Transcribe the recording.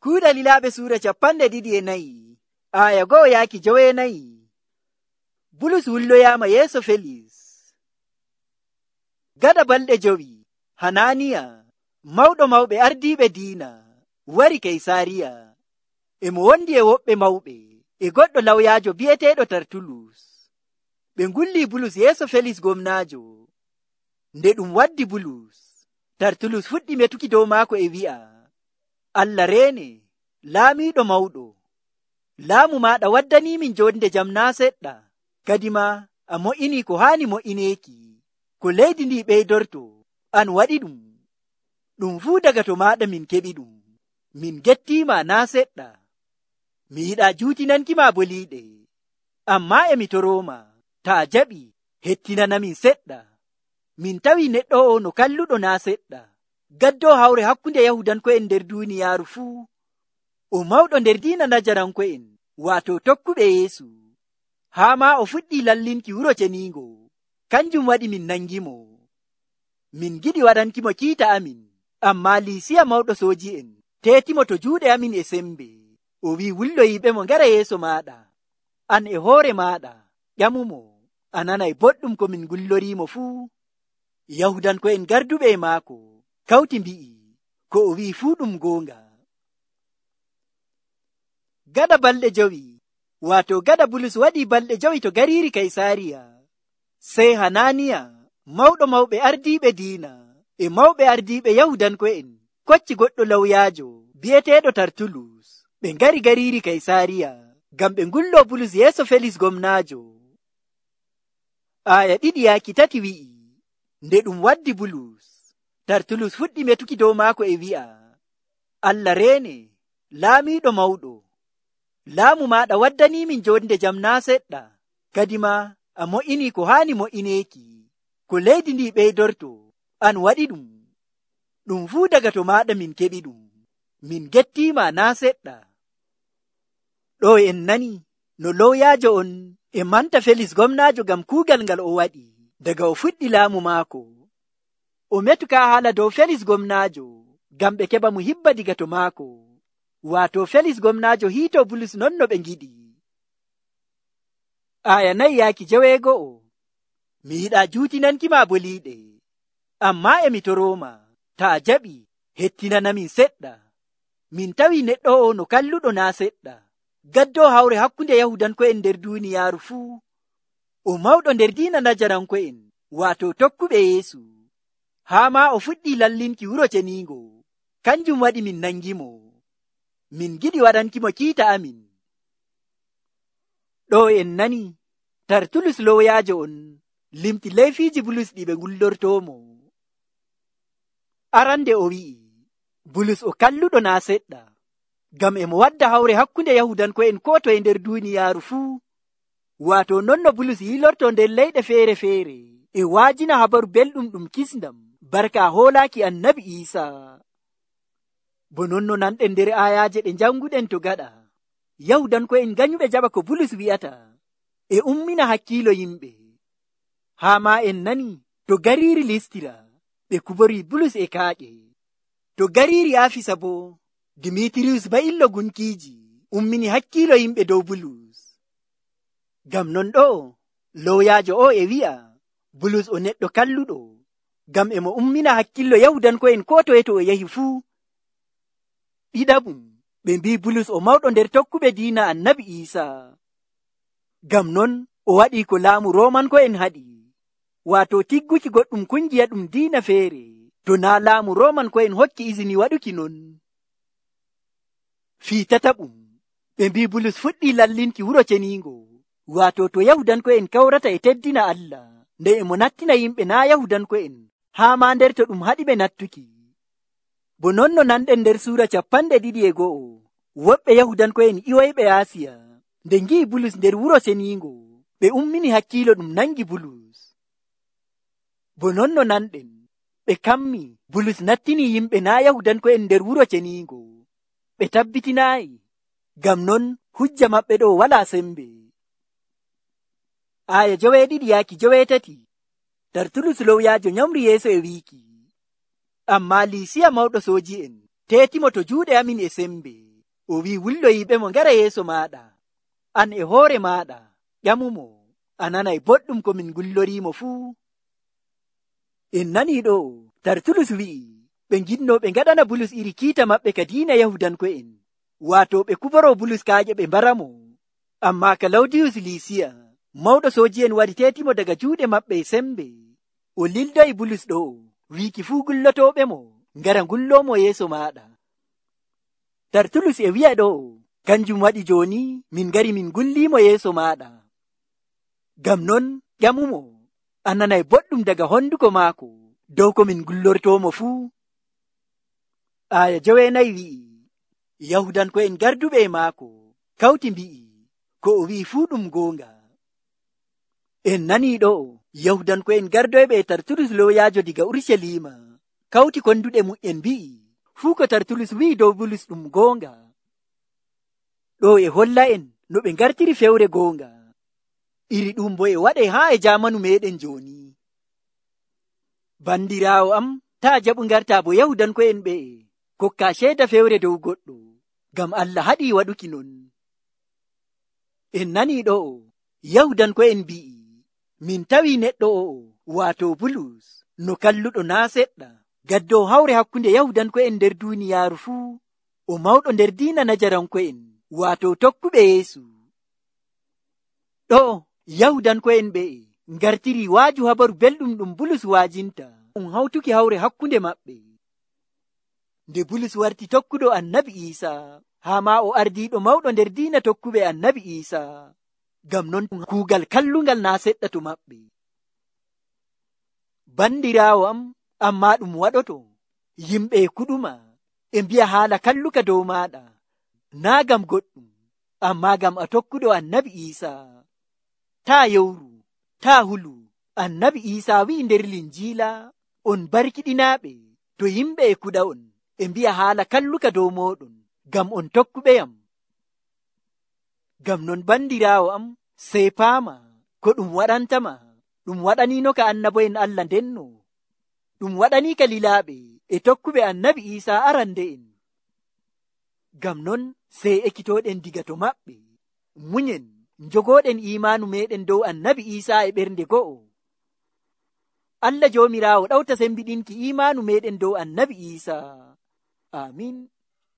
Kuuɗe Lilaaɓe suura 24 aya 1-9. Bulus wulloyaama yeeso Felis. Gada balɗe 5 Hananiya mawɗo mawɓe ardiiɓe diina wari Kaysaariya. E mo wondi e woɓɓe mawɓe e goɗɗo lawyaajo bi'eteeɗo Tartulus. Ɓe ngulli Bulus yeeso Felis gomnaajo. Nde ɗum waddi Bulus, Tartulus fuɗɗi metuki dow maako e wi'a, Allah reene, laamiiɗo mawɗo. Laamu maaɗa waddaniimin jonde jam naa seɗɗa, kadi ma a mo'inii ko haani mo'ineeki. Ko leydi ndi ɓeydorto, an waɗi ɗum. Ɗum fuu daga to maaɗa min keɓi ɗum. Min gettiima naa seɗɗa. Mi yiɗaa juutinankima boliiɗe. Ammaa e mi torooma, taa jaɓi, hettinanamin seɗɗa. Min tawi neɗɗo o no kalluɗo naa seɗɗa. Gaddoo hawre hakkunde Yahudanko'en nder duuniyaaru fuu. O mawɗo nder diina Najaranko'en, waato tokkuɓe Yeesu. Haa maa o fuɗɗii lallinki wuro ceniingo. Kanjum waɗi min nangimo. Min giɗi waɗankimo kiita amin, ammaa Liisiya mawɗo sooji'en teetimo to juuɗe amin e sembe. O wi'i wulloyiiɓe mo ngara yeeso maaɗa. An e hoore maaɗa ƴamumo, a nanay boɗɗum ko min ngulloriimo fuu. Yahudanko'en garduɓe e maako kawti mbi'i ko o wi'i fuu ɗum goonga. Gada balɗe 5 waato gada Bulus waɗii balɗe 5 to gariiri Kaysaariya. Sey Hananiya mawɗo mawɓe ardiiɓe diina e mawɓe ardiiɓe Yahudanko'en kocci goɗɗo lawyaajo bi'eteeɗo Tartulus. Ɓe ngari gariiri Kaysaariya ngam ɓe ngullo Bulus yeeso Felis gomnaajo. Aya 2-3 wi'i, nde ɗum waddi Bulus, Tartulus fuɗɗi metuki dow maako e wi'a, Allah reene, laamiiɗo mawɗo. Laamu maaɗa waddaniimin jonde jam naa seɗɗa, kadi ma a mo'inii ko haani mo'ineeki. Ko leydi ndi ɓeydorto, an waɗi ɗum. Ɗum fuu daga to maaɗa min keɓi ɗum. Min gettiima naa seɗɗa. Ɗo en nani no lowyaajo on e manta Felis gomnaajo ngam kuugal ngal o waɗi daga o fuɗɗi laamu maako. O metuka haala dow Felis gomnaajo ngam ɓe keɓa mo hibba diga to maako. Waato Felis gomnaajo hiito Bulus non no ɓe ngiɗi. Aya 4-9. Mi yiɗaa juutinankima boliiɗe. Ammaa e mi torooma, taa jaɓi, hettinanamin seɗɗa. Min tawi neɗɗo o no kalluɗo naa seɗɗa. Gaddoo hawre hakkunde Yahudanko'en nder duuniyaaru fuu. O mawɗo nder diina Najaranko'en, waato tokkuɓe Yeesu. Haa maa o fuɗɗii lallinki wuro ceniingo. Kanjum waɗi min nangimo. Min giɗi waɗankimo kiita amin. Ɗo en nani, Tartulus lowyaajo on limti leyfiiji Bulus ɗi ɓe ngullortoomo. Arande o wi'i, Bulus o kalluɗo naa seɗɗa, ngam e mo wadda hawre hakkunde Yahudanko'en ko toye nder duuniyaaru fuu. Waato non no Bulus yilorto nder leyɗe feere-feere e waajina habaru belɗum ɗum kisndam barka hoolaaki Annabi Iisaa. Bo non no nanɗen nder ayaaje ɗe janguɗen to gaɗa, Yahudanko'en ganyuɓe jaɓa ko Bulus wi'ata e ummina hakkiilo yimɓe. Haa maa en nani to gariiri Listira ɓe kuborii Bulus e kaaƴe. To gariiri Afisa bo Dimitiriyus ba'illo gunkiiji ummini hakkiilo yimɓe dow Bulus. Ngam non ɗo lowyaajo o e wi'a Bulus o neɗɗo kalluɗo, ngam e mo ummina hakkillo Yahudanko'en ko toye to o yahi fuu. Ɗiɗaɓum ɓe mbi Bulus o mawɗo nder tokkuɓe diina Annabi Iisaa. Ngam non o waɗii ko laamu Roomanko'en haɗi, waato tigguki goɗɗum kungiya ɗum diina feere to naa laamu Roomanko'en hokki izini waɗuki non. Fii tataɓum ɓe mbi Bulus fuɗɗii lallinki wuro ceniingo, waato to Yahudanko'en kawrata e teddina Allah, nde e mo nattina yimɓe naa Yahudanko'en haa maa nder to ɗum haɗi ɓe nattuki. Bo non no nanɗen nder suura 21, woɓɓe Yahudanko'en iwoyɓe Aasiya nde ngi'i Bulus nder wuro ceniingo, ɓe ummini hakkiilo ɗum nangi Bulus. Bo non no nanɗen ɓe kammi Bulus nattini yimɓe naa Yahudanko'en nder wuro ceniingo. Ɓe tabbitinaayi, ngam non hujja maɓɓe ɗo walaa sembe. Aya 9-9. Tartulus lowyaajo nyamri yeeso e wiiki, ammaa Liisiya mawɗo sooji'en teetimo to juuɗe amin e sembe. o wi wulloyiɓe mo ngara yeeso maɗa. An e hoore maɗa ƴamumo, a nanay boɗɗum ko min gullorimo fuu. En nani ɗo Tartulus wi'i ɓe nginno ɓe ngaɗana Bulus iri kiita maɓɓe ka diina Yahudanko'en, waato ɓe kuboro Bulus kaaƴe ɓe mbaramo. Amma Kalawdiyus Lisiya, mawɗo sooji'en wari teetimo daga juuɗe maɓɓe e sembe. O lildoyi Bulus ɗo wiiki fuu gullotooɓe mo ngara ngullomo yeeso maɗa. Tartulus e wi'a ɗo, kanjum waɗi jooni min ngari min ngullimo yeeso maɗa. Ngam non ƴamumo, a nanay boɗɗum daga honduko maako dow ko min gullortomo fuu. Aya 9 wi'i, Yahudanko'en garduɓe e maako kawti mbi'i ko o wi'i fuu ɗum goonga. En nani ɗo Yahudanko'en gardoyɓe e Tartulus looyaajo diga Urshalima kawti konduɗe mum'en mbi'i fuu ko Tartulus wi'i dow Bulus ɗum goonga. Ɗo e holla en no ɓe ngartiri fewre goonga. Iri ɗum bo e waɗe haa e jaamanu meɗen jooni. Bandiraawo am, taa jaɓu ngarta bo Yahudanko'en ɓe kokka ceeda fewre dow goɗɗo, ngam Allah haɗi waɗuki non. En nani ɗo Yahudanko'en mbi'i min tawi neɗɗo o'o waato Bulus no kalluɗo naa seɗɗa gaddo hawre hakkunde Yahudanko'en nder duuniyaaru fuu, o mawɗo nder diina Najaranko'en waato tokkuɓe Yeesu. Ɗo Yahudanko'en ɓe ngartiri waaju habaru belɗum ɗum Bulus waajinta hawtuki hawre hakkunde maɓɓe. Nde Bulus warti tokkuɗo Annabi Iisaa, haa ma o ardiiɗo mawɗo nder diina tokkuɓe Annabi Iisaa, ngam non kuugal kallungal naa seɗɗa to maɓɓe. Bandiraawo am, amma ɗum waɗoto yimɓe kuɗuma e mbi'a haala kalluka dow maɗa, naa ngam goɗɗum, amma ngam a tokkuɗo Annabi Iisaa. Taa yowru, taa hulu. Annabi Iisaa wi'i nder Linjiila, on barkiɗinaaɓe to yimɓe e kuɗa on e mbi'a haala kalluka dow mooɗon, ngam on tokkuɓeyam. Ngam non bandiraawo am, sey paama ko ɗum waɗantama, ɗum waɗaniino ka annabo'en Allah ndenno, ɗum waɗanii ka lilaaɓe e tokkuɓe Annabi Iisaa arande'en. Ngam non sey ekkitooɗen diga to maɓɓe, munyen njogooɗen iimaanu meɗen dow Annabi Iisaa e ɓernde go'o. Allah Joomiraawo ɗawta sembiɗinki iimaanu meɗen dow Annabi Iisaa. Amin.